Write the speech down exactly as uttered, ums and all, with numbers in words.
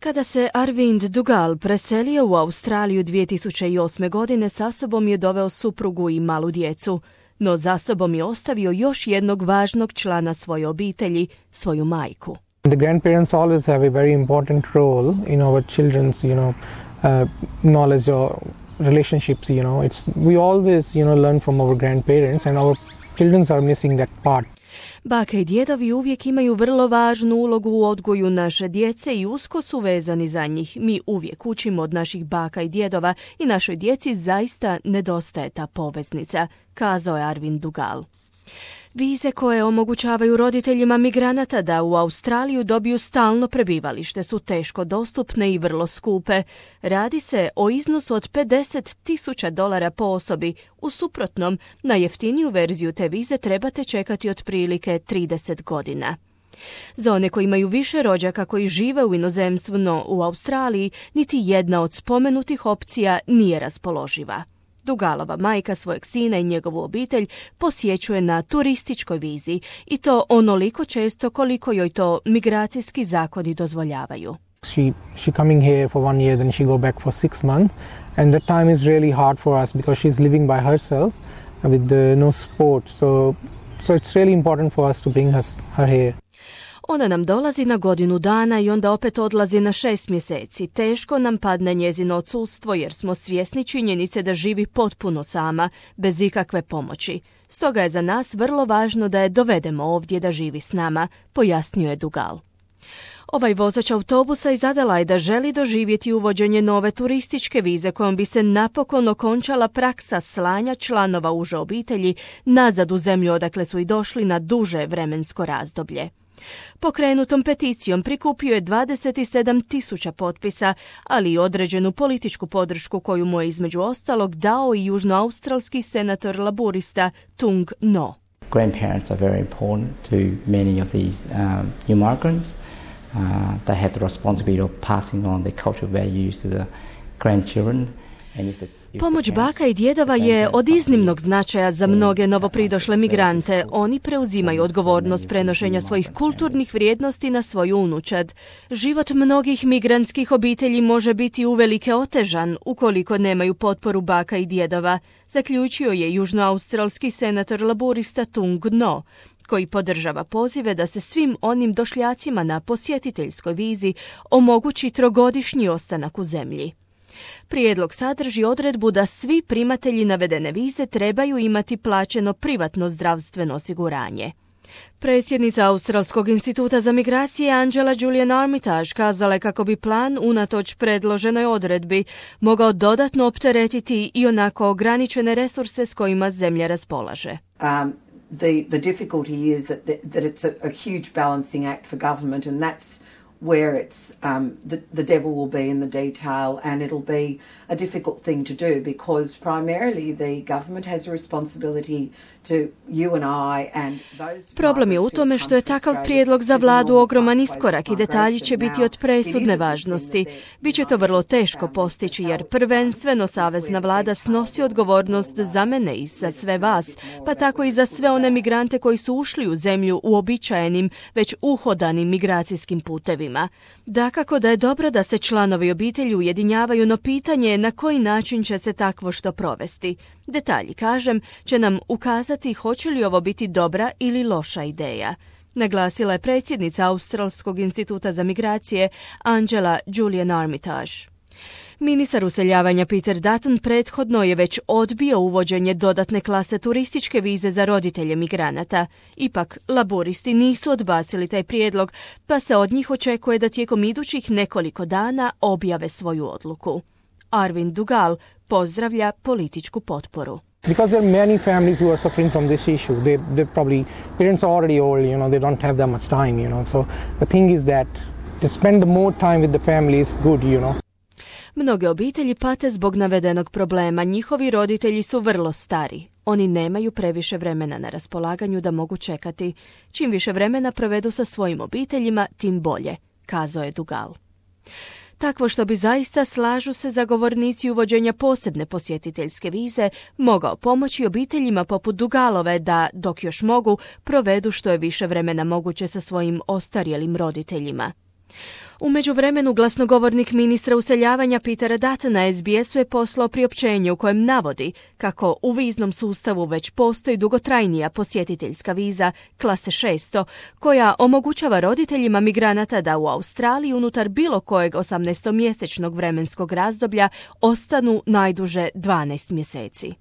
Kada se Arvind Dugal preselio u Australiju dvije tisuće osme. godine, sa sobom je doveo suprugu i malu djecu, no za sobom je ostavio još jednog važnog člana svoje obitelji, svoju majku. The grandparents always have a very important role in our children's, you know, uh, knowledge or relationships, you know. It's we always, you know, learn from our grandparents and our children are missing that part. Baka i djedovi uvijek imaju vrlo važnu ulogu u odgoju naše djece i usko su vezani za njih. Mi uvijek učimo od naših baka i djedova i našoj djeci zaista nedostaje ta poveznica, kazao je Arvind Dugal. Vize koje omogućavaju roditeljima migranata da u Australiju dobiju stalno prebivalište su teško dostupne i vrlo skupe. Radi se o iznosu od pedeset tisuća dolara po osobi. U suprotnom, na jeftiniju verziju te vize trebate čekati otprilike trideset godina. Za one koji imaju više rođaka koji žive u inozemstvu, no u Australiji niti jedna od spomenutih opcija nije raspoloživa. Dugalova majka svojeg sina i njegovu obitelj posjećuje na turističkoj vizi i to onoliko često koliko joj to migracijski zakoni dozvoljavaju. She she coming here for one year, then she go back for six months, and that time is really hard for us because she's living by herself with the, no support. So so it's really important for us to bring her her here. Ona nam dolazi na godinu dana i onda opet odlazi na šest mjeseci. Teško nam padne njezino odsustvo jer smo svjesni činjenice da živi potpuno sama, bez ikakve pomoći. Stoga je za nas vrlo važno da je dovedemo ovdje da živi s nama, pojasnio je Dugal. Ovaj vozač autobusa iz Adelaida želi doživjeti uvođenje nove turističke vize kojom bi se napokon okončala praksa slanja članova uže obitelji nazad u zemlju odakle su i došli na duže vremensko razdoblje. Pokrenutom peticijom prikupio je dvadeset sedam tisuća potpisa, ali i određenu političku podršku koju mu je između ostalog dao i južnoaustralski senator laburista Tung No. Grandparents are very important to many of these um, new migrants. Uh, they have the responsibility of passing on their cultural values to the grandchildren. And if the Pomoć baka i djedova je od iznimnog značaja za mnoge novopridošle migrante. Oni preuzimaju odgovornost prenošenja svojih kulturnih vrijednosti na svoju unučad. Život mnogih migrantskih obitelji može biti uvelike otežan ukoliko nemaju potporu baka i djedova, zaključio je južnoaustralski senator laburista Tung No, koji podržava pozive da se svim onim došljacima na posjetiteljskoj vizi omogući trogodišnji ostanak u zemlji. Prijedlog sadrži odredbu da svi primatelji navedene vize trebaju imati plaćeno privatno zdravstveno osiguranje. Predsjednica Australskog instituta za migracije Angela Julian Armitage kazala je kako bi plan, unatoč predloženoj odredbi, mogao dodatno opteretiti i onako ograničene resurse s kojima zemlja raspolaže. Um, the, the difficulty is that, the, that it's a, a huge balancing act for government, and that's where it's um, the, the devil will be in the detail, and it'll be a difficult thing to do because primarily the government has a responsibility to you and I and those. Problem je u tome što je takav prijedlog za vladu ogroman iskorak i detalji će biti od presudne važnosti. Biće to vrlo teško postići jer prvenstveno savezna vlada snosi odgovornost za mene i za sve vas, pa tako i za sve one migrante koji su ušli u zemlju uobičajenim, već uhodanim migracijskim putevima. Dakako da je dobro da se članovi obitelji ujedinjavaju, no pitanje je na koji način će se takvo što provesti. Detalji, kažem, će nam ukazati hoće li ovo biti dobra ili loša ideja, naglasila je predsjednica Australskog instituta za migracije Angela Julian Armitage. Ministar useljavanja Peter Dutton prethodno je već odbio uvođenje dodatne klase turističke vize za roditelje migranata. Ipak, laburisti nisu odbacili taj prijedlog, pa se od njih očekuje da tijekom idućih nekoliko dana objave svoju odluku. Arvind Dugal pozdravlja političku potporu. Because there are many families who are suffering from this issue. They, they probably, parents are already old, you know, they don't have that much time, you know. So the thing is that to spend the more time with the family is good, you know. Mnoge obitelji pate zbog navedenog problema. Njihovi roditelji su vrlo stari. Oni nemaju previše vremena na raspolaganju da mogu čekati. Čim više vremena provedu sa svojim obiteljima, tim bolje, kazao je Dugal. Takvo što bi zaista, slažu se zagovornici uvođenja posebne posjetiteljske vize, mogao pomoći obiteljima poput Dugalove da, dok još mogu, provedu što je više vremena moguće sa svojim ostarjelim roditeljima. U međuvremenu glasnogovornik ministra useljavanja Petera Dutton na S B S-u je poslao priopćenje u kojem navodi kako u viznom sustavu već postoji dugotrajnija posjetiteljska viza klase šesto, koja omogućava roditeljima migranata da u Australiji unutar bilo kojeg osamnaestomjesečnog vremenskog razdoblja ostanu najduže dvanaest mjeseci.